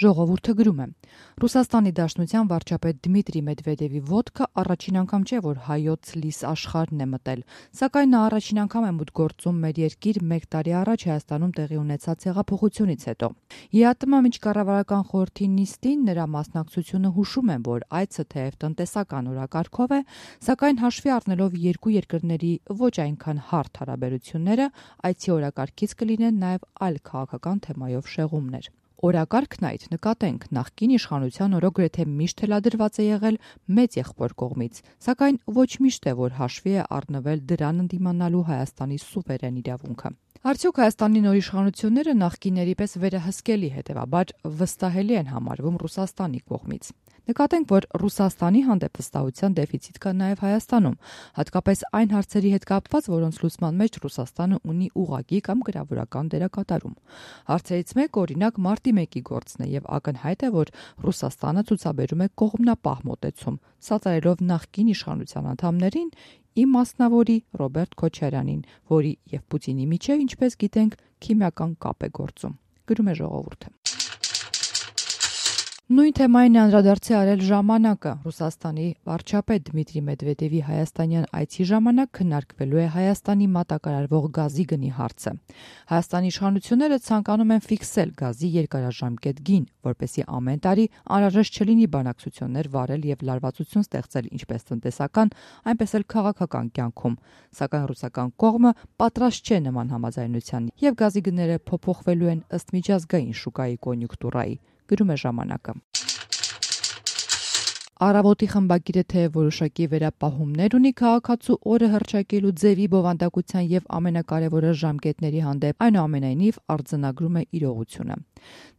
Ժողովուրդը գրում է. Ռուսաստանի Դաշնության վարչապետ Դմիտրի Մեդվեդևի ոտքը առաջին անգամ չէ, որ հայոց լիս աշխարհն է մտել, սակայն նա առաջին անգամ է մուտք գործում մեր երկիր 1 տարի առաջ Հայաստանում տեղի ունեցած հեղափոխությունից հետո։ ԵԱՏՄ միջկառավարական խորհրդի նիստին նրա մասնակցությունը հուշում են, որ այցը թեև տնտեսական օրակարգով է, սակայն հաշվի առնելով երկու երկրների ոչ այնքան հարթ հարաբերությունները, այցի օրակարգից կլինեն նաև այլ քաղաքական թեմայով շեղումներ։ Օրակարգն այդ նկատենք նախկին իշխանության օրոք գրեթե միշտ թելադրված է եղել մեծ եղբոր կողմից, սակայն ոչ միշտ է, որ հաշվի է առնվել դրան ընդդիմանալու Հայաստանի սուվերեն իրավունքը։ Արդյոք Հայաստանի նոր իշխանությունները նախկինների պես վերահսկելի, հետևաբար վստահելի են համարվում Ռուսաստանի կողմից։ Նկատենք, որ Ռուսաստանի հանդեպ վստահության դեֆիցիտ կա նաև Հայաստանում, հատկապես այն հարցերի հետ կապված, որոնց լուծման մեջ Ռուսաստանը ունի ուղղակի կամ գրավորական դերակատարում։ Հարցերից մեկը օրինակ մարտի 1-ի գործն է եւ ակնհայտ է, որ Ռուսաստանը ցուցաբերում է կողմնապահ մոտեցում, սատարելով նախկին իշխանության անդամներին, ի մասնավորի Ռոբերտ Քոչարյանին, որի եւ Պուտինի միջև, ինչպես գիտենք, քիմիական կապ է գործում։ Գրում է Ժողովուրդը։ Նույն թեմային է անդրադարձի արել «Ժամանակը»։ Ռուսաստանի վարչապետ Դմիտրի Մեդվեդևի հայաստանյան այցի ժամանակ քննարկվելու է Հայաստանի մատակարարվող գազի գնի հարցը։ Հայաստանի իշխանությունները ցանկանում են ֆիքսել գազի երկարաժամկետ գին, որպեսզի ամեն տարի անհրաժեշտ չլինի բանակցություններ վարել եւ լարվածություն ստեղծել ինչպես տնտեսական, այնպես էլ քաղաքական կյանքում։ Սակայն ռուսական կողմը պատրաստ չէ նման համաձայնության եւ գազի գները փոփոխվելու են ըստ միջազգային շուկայի կոնյունկտուրայի։ Գրում է «Ժամանակը»։ Առավոտի խմբագիրը թեև որոշակի վերապահումներ ունի քաղաքացու օրը հռչակելու ձևի, բովանդակության եւ ամենակարևորը ժամկետների հանդեպ, այնուամենայնիվ արձանագրում է իրողությունը։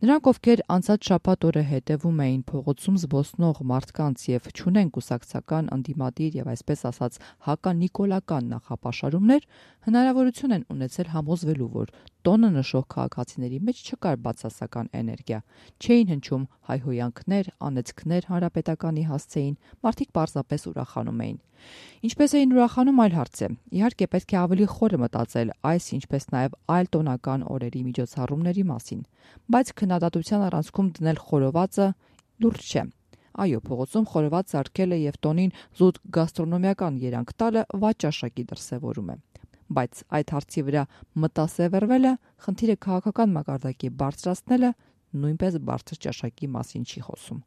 Նրանք, ովքեր անցած շաբաթ օրը հետևում էին փողոցում զբոսնող մարդկանց եւ չունեն կուսակցական ընդդիմադիր եւ այսպես ասած հականիկոլական նախապաշարումներ, հնարավորություն են ունեցել համոզվելու, որ տոնը նշող քաղաքացիների մեջ չկար բացասական էներգիա, չէին հնչում հայհոյանքներ, անեծքներ հանրապետականի հասցեին, մարդիկ պարզապես ուրախանում էին։ Ինչպես էին ուրախանում այլ հարց է։ Իհարկե պետք է ավելի խորը մտածել այս, ինչպես նաև այլ տոնական օրերի միջոցառումների մասին, բայց քննադատության առանցքում դնել խորովածը լուրջ չէ։ Այո, փողոցում խորոված սարքելը եւ տոնին զուտ գաստրոնոմիական երանգ տալը վաճառաշակի դրսևորում է։ Բայց այդ հարցի վրա մտասևեռվելը, խնդիրը քաղաքական մակարդակի բարձրացնելը նույնպես բարձր ճաշակի մասին չի խոսում։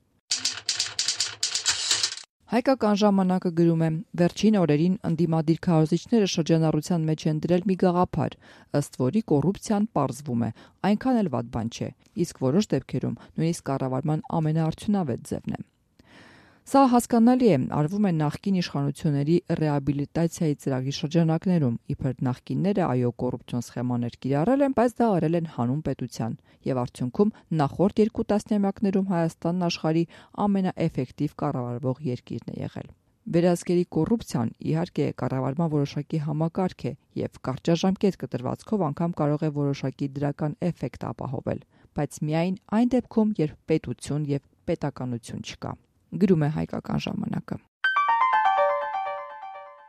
Հայկական ժամանակը գրում է. վերջին օրերին ընդդիմադիր քարոզիչները շրջանառության մեջ են դրել մի գաղափար, ըստ որի կոռուպցիան պարզվում է, այնքան էլ վատ բան չէ, իսկ որոշ դեպքերում նույնիսկ կառավարման ամենաարդյունավետ ձևն է։ Սա հասկանալի է, արվում է նախկին իշխանությունների ռեաբիլիտացիայի ծրագրի շրջանակներում, իբր նախկինները այո կոռուպցիոն սխեմաներ կիրառել են, բայց դա արել են հանուն պետության, եւ արդյունքում նախորդ 2 տասնամյակներում Հայաստանն աշխարհի ամենաէֆեկտիվ կառավարվող երկիրն է եղել։ Վերահսկելի կոռուպցիան իհարկե կառավարման որոշակի համակարգ է եւ կարճաժամկետ կտրվածքով անգամ կարող է որոշակի դրական էֆեկտ ապահովել, բայց միայն այն դեպքում, երբ պետություն եւ պետականություն չկա։ Գրում է Հայկական ժամանակը։